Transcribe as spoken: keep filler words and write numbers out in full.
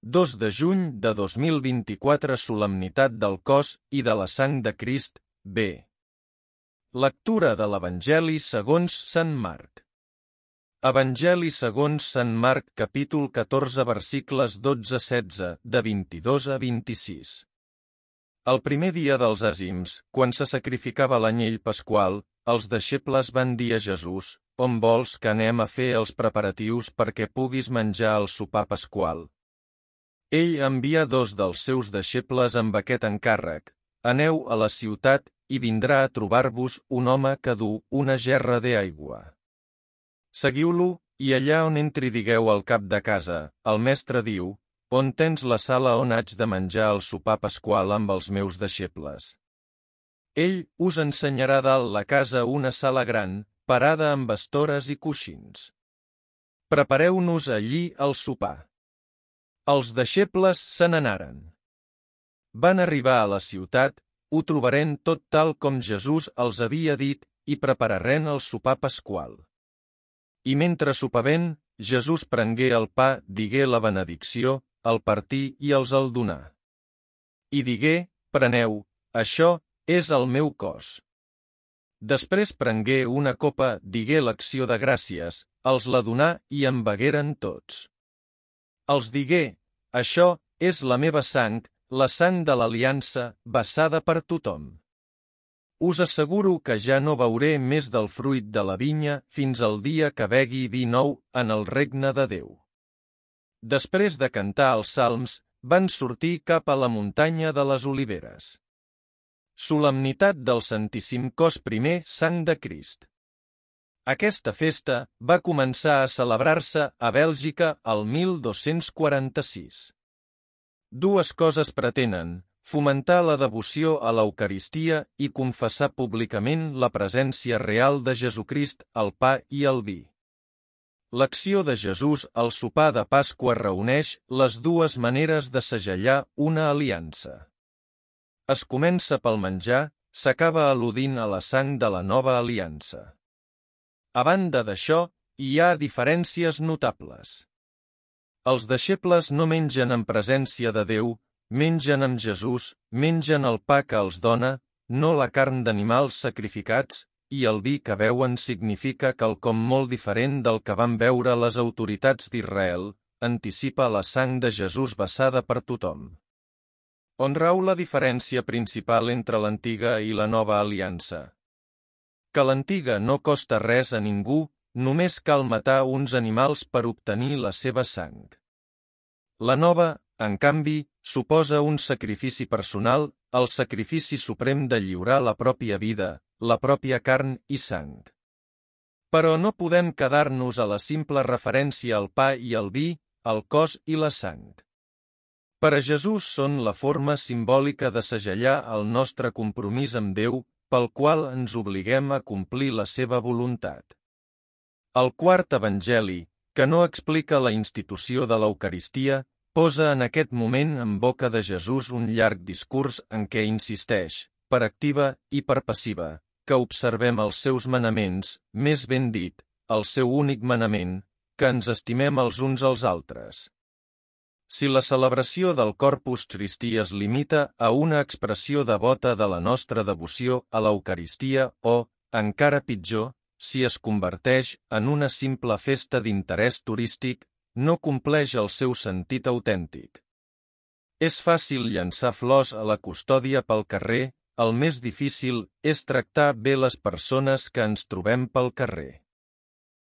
dos de juny de dos mil vint-i-quatre Solemnitat del cos i de la sang de Crist, B. Lectura de l'Evangeli segons Sant Marc. Evangeli segons Sant Marc, capítol catorze, versicles dotze a setze, de vint-i-dos a vint-i-sis. El primer dia dels àzims, quan se sacrificava l'anyell pasqual, els deixebles van dir a Jesús: «On vols que anem a fer els preparatius perquè puguis menjar el sopar pasqual?» Ell envià dos dels seus deixebles amb aquest encàrrec: «Aneu a la ciutat i vindrà a trobar-vos un home que du una gerra d'aigua. Seguiu-lo, i allà on entri digueu al cap de casa: el mestre diu, on tens la sala on haig de menjar el sopar pasqual amb els meus deixebles? Ell us ensenyarà dalt la casa una sala gran, parada amb estores i coixins. Prepareu-nos allí el sopar». Els deixebles se n'anaren. Van arribar a la ciutat, ho trobaren tot tal com Jesús els havia dit, i prepararen el sopar pasqual. I mentre sopaven, Jesús prengué el pa, digué la benedicció, el partí i els el donà. I digué: «Preneu, això és el meu cos». Després prengué una copa, digué l'acció de gràcies, els la donà i en begueren tots. Els digué: «Això és la meva sang, la sang de l'aliança, vessada per tothom. Us asseguro que ja no beuré més del fruit de la vinya fins al dia que begui vi nou en el regne de Déu». Després de cantar els salms, van sortir cap a la muntanya de les Oliveres. Solemnitat del Santíssim Cos, primer sang de Crist. Aquesta festa va començar a celebrar-se a Bèlgica el mil dos-cents quaranta-sis. Dues coses pretenen: fomentar la devoció a l'Eucaristia i confessar públicament la presència real de Jesucrist al pa i al vi. L'acció de Jesús al sopar de Pasqua reuneix les dues maneres de segellar una aliança. Es comença pel menjar, s'acaba al·ludint a la sang de la nova aliança. A banda d'això, hi ha diferències notables. Els deixebles no mengen en presència de Déu, mengen amb Jesús, mengen el pa que els dona, no la carn d'animals sacrificats, i el vi que beuen significa quelcom molt diferent del que van beure les autoritats d'Israel, anticipa la sang de Jesús vessada per tothom. On rau la diferència principal entre l'antiga i la nova aliança? Que l'antiga no costa res a ningú, només cal matar uns animals per obtenir la seva sang. La nova, en canvi, suposa un sacrifici personal, el sacrifici suprem de lliurar la pròpia vida, la pròpia carn i sang. Però no podem quedar-nos a la simple referència al pa i al vi, al cos i la sang. Per a Jesús són la forma simbòlica de segellar el nostre compromís amb Déu, pel qual ens obliguem a complir la seva voluntat. El quart evangeli, que no explica la institució de l'Eucaristia, posa en aquest moment en boca de Jesús un llarg discurs en què insisteix, per activa i per passiva, que observem els seus manaments, més ben dit, el seu únic manament, que ens estimem els uns als altres. Si la celebració del Corpus Christi es limita a una expressió devota de la nostra devoció a l'Eucaristia o, encara pitjor, si es converteix en una simple festa d'interès turístic, no compleix el seu sentit autèntic. És fàcil llançar flors a la custòdia pel carrer, el més difícil és tractar bé les persones que ens trobem pel carrer.